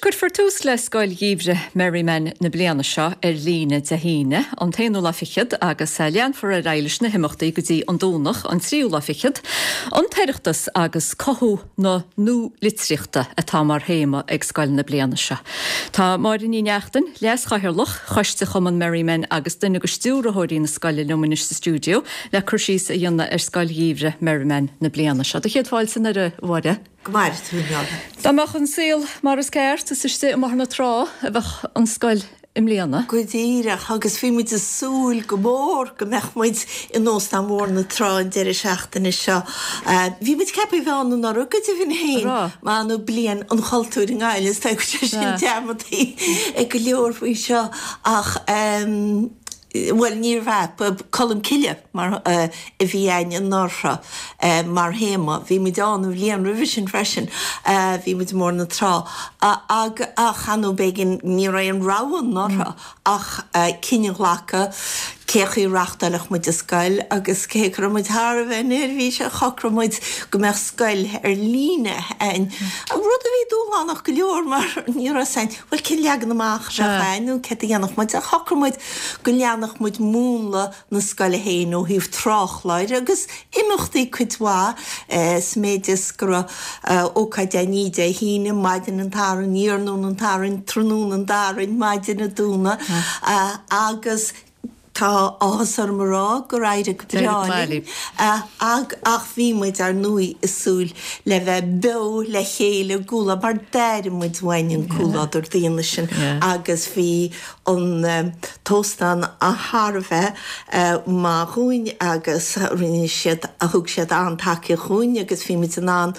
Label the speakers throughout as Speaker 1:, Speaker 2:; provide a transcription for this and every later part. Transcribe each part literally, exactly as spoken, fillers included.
Speaker 1: cuirfear tús le scoil gheimhridh Merriman na bliana seo ar líne Dé hAoine, an t-aonú lá fichead agus leanfar ar aghaidh leis na himeachtaí go dtí an Domhnach an tríú lá fichead, an tOireachtas agus cothú na nualitríochta atá mar théama ag scoil na bliana seo. Tá Máire Ní Neachtain, Leas-Chathaoirleach Choiste Chumann Merriman agus duine de stiúrthóirí na scoile liom anois sa stiúideo le cur síos a dhéanamh ar scoil gheimhridh Merriman na bliana seo. Do chéad fáilte anoir a Mháire.
Speaker 2: Go maire tú
Speaker 1: Dá mbeadh an saol mar is ceart is istigh i mBóthar na Trá a bheadh an scoil i mbliana.
Speaker 2: Go díreach agus bhí muid ag súil go mór go mbeadh muid in Óstán Bhóthar na Trá an deireadh seachtaine seo. Bhí muid ceaptha a bheith ann anuraidh go deimhin féin mar nó bliain an chultúir i nGaillimh is tá sé sin dearmadta ag go leor faoi seo ach bhuel níorbh ea Colm Cille mar a bhí againn anuraidh mar théama. Bhí muid ann an bhliain roimhe sin freisin, bhí muid i mBóthar na Trá ach ar ndóigh b'éigean ní raibh aon rogha anuraidh ach cinneadh a ghlacadh cé chaoi a reáchtálfadh muid an scoil agus cé go raibh muid thar a bheith neirbhíseach shocraigh muid go mbeadh scoil ar líne againn. Rud a bhí dúshlánach go leor mar ní raibh a fhios againn bhuel cén leagan amach a bheadh againn nó céard a dhéanfadh muid ach shocraigh muid go leanfadh muid múnla na scoile féin ó thaobh tráthchláir agus imeachtaí cuid mhaith sa méid is go raibh ócáid againn Dé hAoine, maidin an tSathairn, iarnóin an tSathairn, tráthnóna an Domhnaigh, maidin an Domhnaigh agus tá áthas orm a rá gur éirigh go breá linn ach bhí muid ar ndóigh ag súil le bheith beo le chéile i gcomhluadar mar d'airigh muid uainn an comhluadar daonna sin agus bhí an t-óstán thar a bheith maith dhúinn agus rinne siad thug siad an-tacaíocht dhúinn agus bhí muid in ann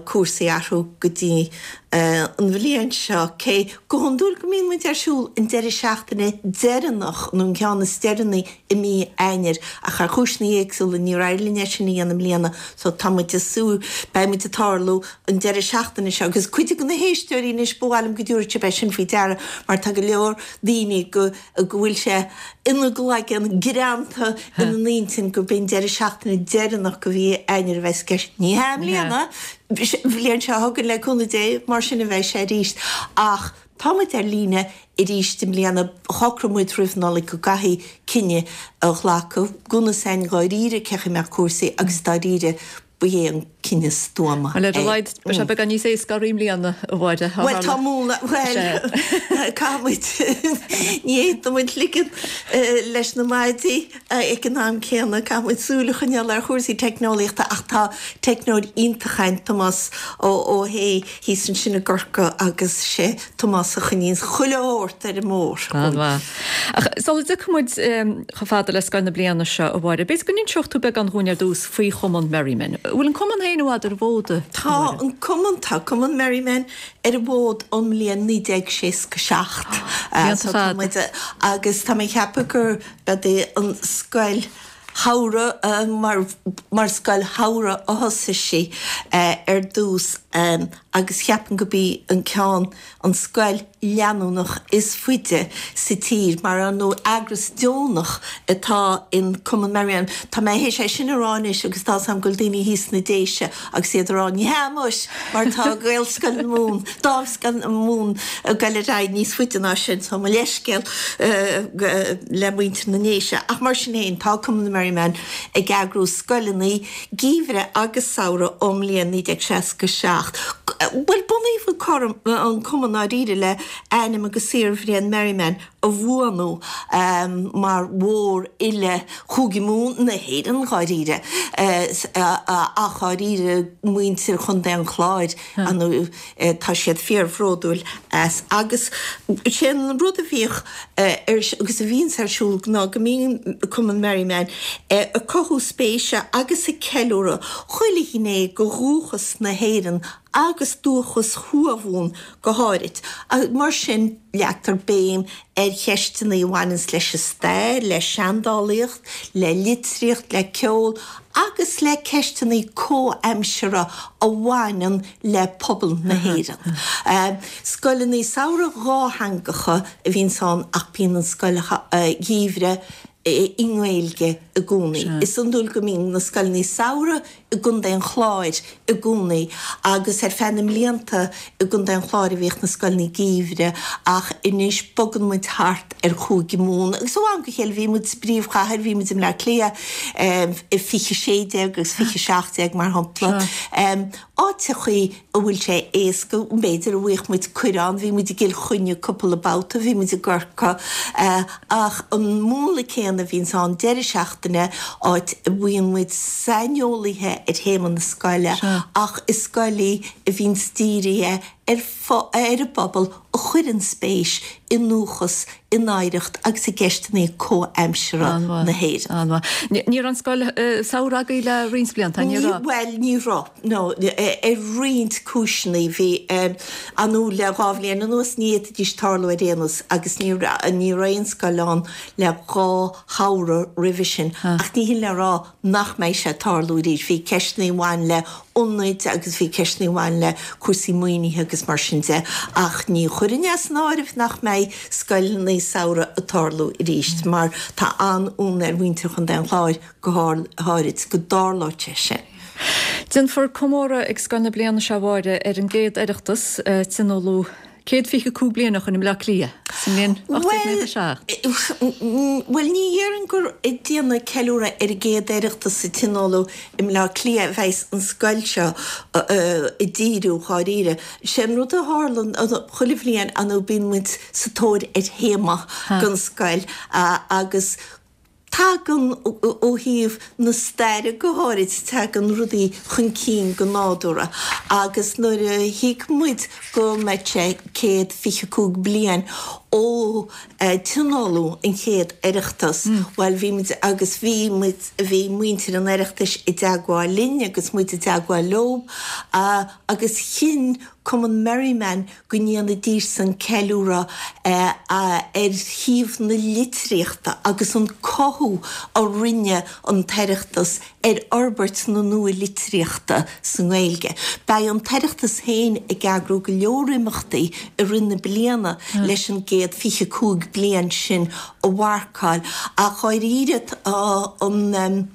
Speaker 2: cúrsaí a athrú go dtí an bhliain seo cé go hiondúil go mbíonn muid ar siúl an deireadh seachtaine deireanach nó an ceann is deireanaí i mí Eanáir ach ar chúiseanna éagsúla níor éirigh linn é sin a dhéanamh i mbliana so tá muid ag súil beidh muid ag tarlú an deireadh seachtaine seo agus cuid de na héisteoirí anois ba mhaith liom go dtabharfadh sibh é sin faoi deara mar tá go leor daoine go go bhfuil sé ina gcloigeann greanta ina n-intinn gurb é an deireadh seachtaine deireanach de mhí Eanáir a bheas i gceist. Ní hea i mbliana, an bhliain seo chugainn le cúnamh Dé, mar sin a bheidh sé arís. Ach tá muid ar líne arís i mbliana. Shocraigh muid roimh Nollaig go gcaithfí cinneadh a ghlacadh gan a fhios againn dháiríre cé chaoi a mbeadh cúrsaí agus dáiríre ba é an cinneadh stuama
Speaker 1: é. Bhuel, ar a laghad, beidh sé beagán níos éasca oraibh i mbliana, a Mháire.
Speaker 2: Bhuel, tá múnla, bhuel, caithfidh muid, ní fhéadfaidh muid ligean leis na maidí ag an am céanna, caithfidh muid súil a choinneáil ar chúrsaí teicneolaíochta ach tá teicneoir iontach againn, Tomás Ó hAodha, thíos ansin i gCorcaigh agus sé Tomás a choinníonns chuile shórt ar an mbóthar.
Speaker 1: An-mhaith. Ach sula dtiocfaidh muid chomh fada le scoil na bliana seo, a Mháire, b'fhéidir go n-inseodh tú beagán dhúinn ar dtús faoi Chumann Merriman. An bhfuil an cumann féin i bhfad ar an bhfód?
Speaker 2: Tá an cumann, tá Cumann Merriman ar an bhfód ón mbliain naoi déag seasca seacht.
Speaker 1: Blianta
Speaker 2: fada. Agus tá mé ag ceapadh gur b'é an scoil shamhraidh, mar, mar scoil shamhraidh a thosaigh sí ar dtús agus cheapfainn go b'í an ceann, an scoil leanúnach is faide sa tír, mar ar ndóigh eagras deonach atá in Cumann Merriman. Tá mé théis é sin a rá anois agus tá 's a'm go bhfuil daoine thíos sna Déise agus iad ag rá ní hea muis mar tá Gaelscoil na Mumhan, Dámhscoil na Mumhan ag goil ar aghaidh níos faide ná sin, so mo leithscéal le muintir na nDéise. Ach mar sin féin, tá Cumann Merriman ag eagrú scoileanna geimhridh agus samhraidh ón mbliain naoi déag seasca seacht. Bhuel, bunaíodh an cumann ndáiríre le ainm agus saorbhréith Merriman a bhuanú mar mhórfhile Chúige Mumhan, na hÉireann dháiríre, ach dháiríre muintir Chontae an Chláir, tá siad fíorbhródúil as. Agus sé an rud a bhíodh ar, agus a bhíonns ar siúl ná go mbíonn Cumann Merriman ag cothú spéise agus ag ceiliúradh chuile ghné de dhúchas na hÉireann agus dúchas Thuamhumhan go háirid. Mar sin, leagtar béim ar cheisteanna a bhaineanns leis an stair, le seandálaíocht, le litríocht, le ceol agus le ceisteanna comhaimseartha a bhaineann le pobal na hÉireann. Scoileanna samhraidh dhátheangacha a bhíonns ann ach bíonn an scoil gheimhridh i nGaeilge i gcónaí. Is iondúil go mbíonn na scoileanna samhraidh i gContae an Chláir i gcónaí agus ar feadh na mblianta i gContae an Chláir a bhíodh na scoileanna geimhridh ach anois bogann muid thart ar Chúige Mumhan agus ó am go chéile bhí muid sa bpríomhchathair, bhí muid i mBleá Cliath i fiche sé déag agus fiche seacht déag mar shampla. Áiteachaí a bhfuil sé éasca, b'fhéidir a bhfaigheadh muid cuireadh ann, bhí muid i gCill Chainnigh cúpla babhta, bhí muid i gCorcaigh ach an múnla céanna a bhíonns ann, deireadh seachtaine, áit a bhfaigheann muid saineolaithe ar théama na scoile ach is scoil í a bhíonns dírithe ar ar an bpobal a chuireann spéis i ndúchas, in oidhreacht agus i gceisteanna comhaimseartha na hÉireann.
Speaker 1: An-mhaith. Ní raibh an scoil samhraidh agaibh le roinnt blianta, ní raibh?
Speaker 2: Bhuel, ní raibh, no, ar roinnt cúiseanna. Bhí, ar ndóigh, le dhá bhliain anuas ní fhéadfaidís tarlú ar aon nós agus ní ní raibh aon scoil ann le dhá shamhradh roimhe sin. Ach ní hin le rá nach mbeidh sé ag tarlú arís. Bhí ceisteanna a bhain le ionaid agus bhí ceisteanna a bhain le cúrsaí maoinithe agus mar sin de ach ní chuirfinn as an áireamh nach mbeidh scoileanna samhraidh ag tarlú arís mar tá an-fhonn ar mhuintir Chontae an Chláir go háirid go dtarlódh sé sin.
Speaker 1: Déanfar comóradh ag scoil na bliana seo, a Mháire, ar an gcéad Oireachtas a tionóladh céad fiche cúig bliain ó shin i mBleá Cliath sa mbliain ocht déag naocha seacht.
Speaker 2: Bhuel, ní dhéarfainn gur ag déanamh ceiliúradh ar an gcéad Oireachtas a tionóladh i mBleá Cliath a bheas an scoil seo ag díriú, dháiríre. Sé an rud a tharlann chuile bhliain, ar ndóigh, bíonn muid sa tóir ar théama don scoil agus tagann, ó thaobh na staire go háirid, tagann rudaí chun cinn go nádúrtha agus nuair a thuig muid go mbeadh sé céad fiche cúig bliain ó tionóladh an chéad Oireachtas, bhuel bhí muid agus bhí muid, bhí muintir an Oireachtais i dteagmháil linn agus muid i dteagmháil leo agus chinn Cumann Merriman go ndéanfaidís-san ceiliúradh ar thaobh na litríochta agus an cothú a rinne an tOireachtas ar fhorbairt na nua-litríochta sa nGaeilge. Beidh an tOireachtas féin ag eagrú go leor imeachtaí i rith na bliana leis an gcéad fiche cúig bliain sin a mharcáil ach dháiríre tá an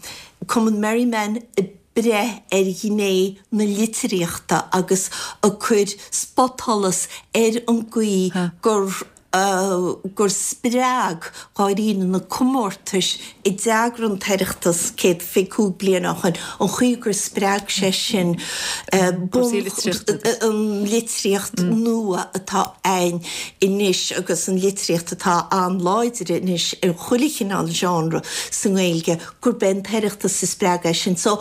Speaker 2: Cumann Merriman ag breith ar ghné na litríochta agus ag cur spotsholas ar an gcaoi gur gur spreag dháiríre na comórtais a d'eagraigh an tOireachtas céad fiche cúig bliain ó shin, an chaoi gur spreag sé sin an litríocht nua atá ann anois agus an litríocht atá an-láidir anois ar chuile chineál genre sa nGaeilge, gurb é an tOireachtas a spreag é sin. So,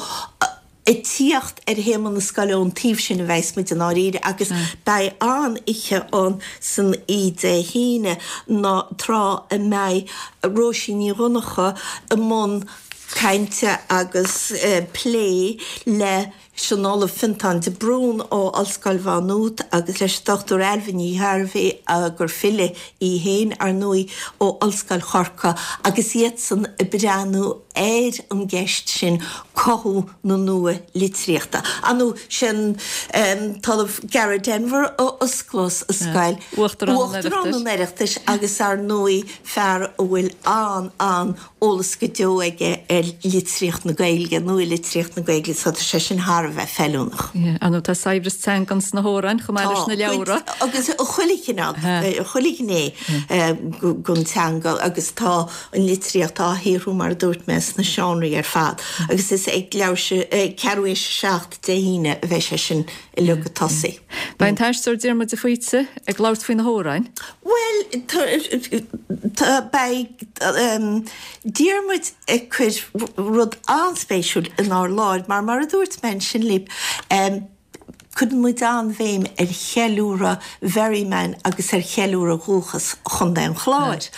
Speaker 2: ag tíocht ar théama na scoile ón taobh sin a bheas muid i ndáiríre agus beidh an-oíche ann san oíche Dé hAoine ná tráth a mbeidh Róisín Ní Dhonncha i mbun cainte agus plé le leis an Ollamh Fionntán de Brún ó Ollscoil Mhá Nuad agus leis an Dochtúir Ailbhe Ní Ghairbhí, gur file í féin, ar ndóigh, ó Ollscoil Chorcaí agus iadsan ag breathnú ar an gceist sin, cothú na nua-litríochta. Ar ndóigh, sé an tOllamh Gareth Denvir a osclós an scoil, Uachtarán an Oireachtais agus ar ndóigh fear a bhfuil an-an eolas go deo aige ar litríocht na Gaeilge, nua-litríocht na Gaeilge, so tá sé sin thar a bheith feiliúnach.
Speaker 1: Ar ndóigh tá saibhreas teangan sna hamhráin chomh maith leis na leabhra.
Speaker 2: Tá, agus chuile chineál, chuile ghné den teanga agus tá an litríocht á shaothrú mar a dúirt mé sna seánraí ar fad agus is ag leathuair, ag ceathrú théis a seacht Dé hAoine a bheidh sé sin uilig ag tosaí.
Speaker 1: Beidh an t-aisteoir Diarmuid de Faoite ag labhairt faoi na hamhráin.
Speaker 2: Bhuel, tá, beidh Diarmuid ag cur rud an-spéisiúil inár láthair mar, mar a dúirt mé ansin libh, cuireann muid an-bhéim ar cheiliúradh Mherriman agus ar cheiliúradh dhúchas Chontae an Chláir.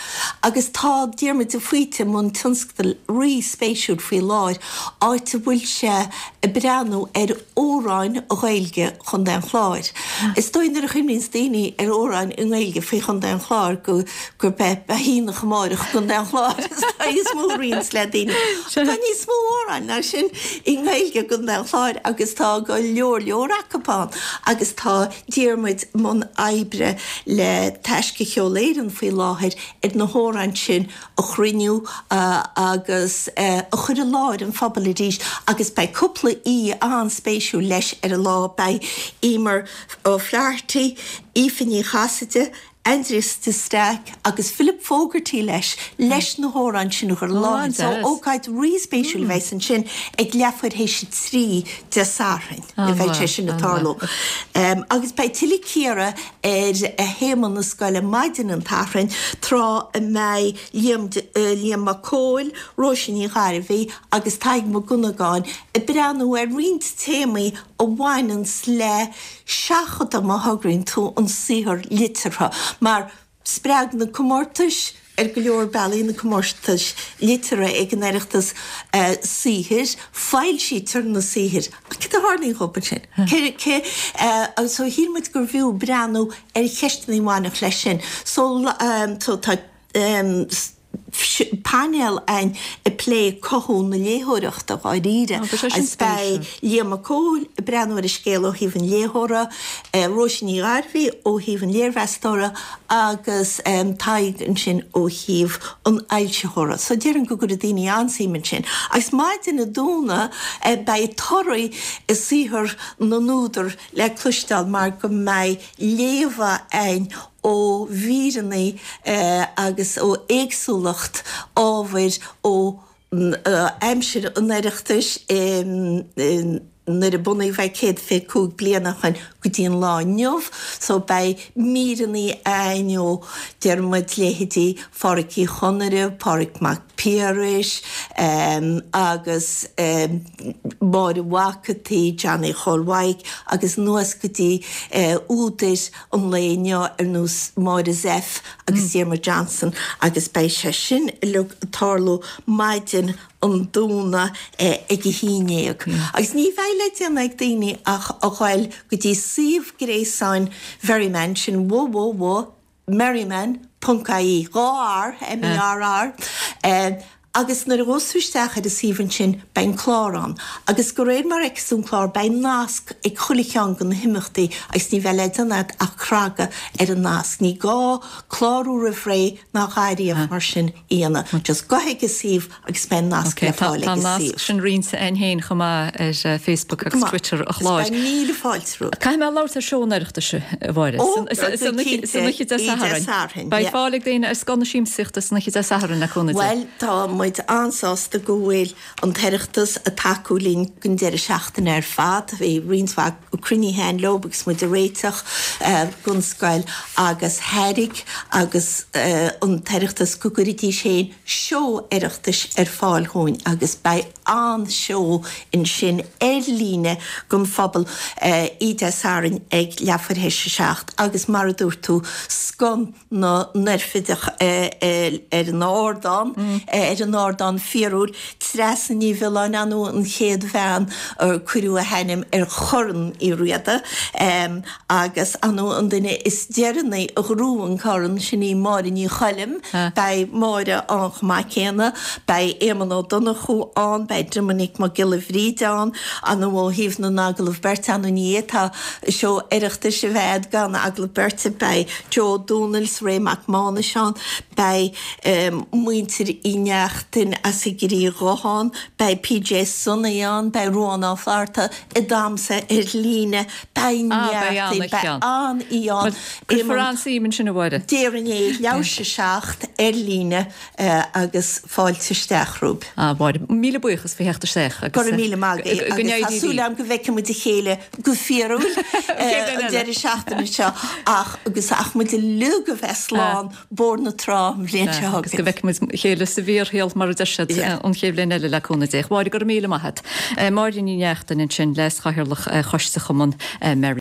Speaker 2: Agus tá Diarmuid de Faoite i mbun tionscadal rí-spéisiúil faoi láthair, áit a bhfuil sé ag breathnú ar amhráin Ghaeilge Chontae an Chláir. Is dóigh nuair a chuimhníonns daoine ar amhráin i nGaeilge faoi Chontae an Chláir go gurb é Beidh Amárach i gContae an Chláir is dóigh is mó a ritheanns le daoine. Tá níos mó amhráin ná sin i nGaeilge i gContae an Chláir agus tá go leor leor acu ann agus tá Diarmuid i mbun oibre le Taisce Cheol Éireann faoi láthair ar na hamhráin sin a chruinniú agus a chur i láthair an phobail arís agus beidh cúpla aoi an-spéisiúil leis ar an lá, beidh Emer O'Flaherty, Aoife Ní Chasaide, Aindrias de Staic agus Philip Fogarty leis, leis na hamhráin sin a chur i láthair. So ócáid rí-spéisiúil a bheas ansin ag leathuair théis a trí Dé Sathairn a bheidh sé sin ag tarlú. Agus beidh tuilleadh cíoradh ar théama na scoile maidin an tSathairn, tráth a mbeidh Liam Liam Mac Cóil, Róise Ní Ghairbhí agus Tadhg Mac Dhonnagáin ag breathnú ar roinnt téamaí a bhaineanns le seachadadh, má thograíonn tú, an saothar liteartha, mar spreag na comórtais, ar go leor bealaí, na comórtais liteartha ag an Oireachtas saothair, foilsítear na saothair, ach céard a tharlaíonn dhóibh ansin? Cé, cé, so shíl muid gurbh fhiú breathnú ar cheisteanna a bhainfeadh leis sin. So, so tá. painéal againn ag plé cothú na léitheoireachta dháiríre agus beidh Liam Mac Cóil ag breathnú ar an scéal ó thaobh an léitheora, Róise Ní Ghairbhí ó thaobh an léirmheastóra agus Tadhg ansin ó thaobh an fhoilsitheora. So déarfainn go gcuirfidh daoine an-suim ansin. Agus maidin an Domhnaigh beidh toradh saothar na n-údar le cloisteáil mar go mbeidh léamha againn ó mhíreanna agus ó éagsúlacht ábhair ó aimsir an Oireachtais nuair a bunaíodh é céad fiche cúig bliain ó shoin go dtí an lá inniu. So beidh míreanna againn ó, deir muid, leithéidí Phádhraic Uí Chonaire, Pádraig Mac Piarais agus Máire Mhac an tSaoi, Johnny Chóil Mhaidhc agus anuas go dtí údair an lae inniu ar nós Máire Zepf agus Diarmuid Johnson agus beidh sé sin uilig ag tarlú maidin an Domhnaigh ag a haon déag. Agus ní bheidh le déanamh ag daoine ach a ghoil go dtí suíomh gréasáin Mherriman, sin www. Merriman ponc ie, dhá R, M-E-R-R, agus nuair a ghabhfas tú isteach ar an suíomh ansin beidh an clár ann agus de réir mar a fheicfeas tú an clár beidh nasc ag chuile cheann de na himeachtaí agus ní bheidh le déanamh agat ach cnagadh ar an nasc. Ní gá clárú roimh ré ná a dhath ariamh mar sin a dhéanamh. Just gabh chuig an suíomh agus beidh an nasc le fáil
Speaker 1: ag
Speaker 2: an
Speaker 1: suíomh. Tá an nasc sin roinnte againn féin chomh maith ar Facebook agus Twitter a chláir.
Speaker 2: Agus beidh míle fáilte romhat.
Speaker 1: Caithfidh mé labhairt ar seó an Oireachtais, a Mháire. San oíche Dé Sathairn. Beidh fáil ag daoine ar scoth na siamsaíochta san oíche Dé Sathairn, le cúnamh Dé.
Speaker 2: Bhuel, tá muid an-sásta go bhfuil an tOireachtas ag tacú linn don deireadh seachtaine ar fad. Bhí roinnt mhaith cruinnithe againn leo agus muid ag réiteach don scoil agus thairg agus an tOireachtas go gcuirfidís féin seó Oireachtais ar fáil dhúinn agus beidh an-seó ansin ar líne don phobal oíche Dé Sathairn ag leathuair théis a seacht agus mar a dúirt tú, scoth na n-oirfideach ar an ardán, ar an ardán fíorúil, Treasa Ní Mhiolláin, ar ndóigh an chéad bhean ar cuireadh a hainm ar Chorn Uí Riada agus ar ndóigh an duine is deireanaí a ghnóthaigh an corn, sin í Máire Ní Choilm. Beidh Máire ann chomh maith céanna, beidh Éamonn Ó Donnchú ann, beidh Doiminic Mac Giolla Bhríde ann, ar ndóigh ó thaobh na n-agallamh beirte, ar ndóigh ní fhéadfá seó Oireachtais a bheith agat gan agallamh beirte, beidh Joe Ó Dónaill 's Ray Mac Mánais ann, beidh muintir Uí Neachtain as an gCriath Dhubh ann, beidh PJ Sonaí ann, beidh Ruán Ó Flatharta ag damhsa ar líne, beidh neart, beidh an-oíche ann.
Speaker 1: Cuirfear an-suim ansin, a Mháire.
Speaker 2: Déarfainn é, leathuair théis a seacht ar líne agus fáilte isteach romhaibh.
Speaker 1: A Mháire, míle buíochas faoi theacht isteach agus
Speaker 2: Go raibh míle maith agat agus tá súil agam go bhfeicfidh muid a chéile go fíorúil an deireadh seachtaine seo ach agus ach muid uilig a bheith slán Bóthar na Trá an bhliain seo
Speaker 1: chugainn. Agus go bhfeicfidh muid a chéile sa bhfíorshaol mar a deir siad an chéad bhliain eile le cúnamh Dé. A Mháire, go raibh míle maith agat. Máire Ní Neachtain ansin, Leas-Chathaoirleach Choiste Chumann Merriman.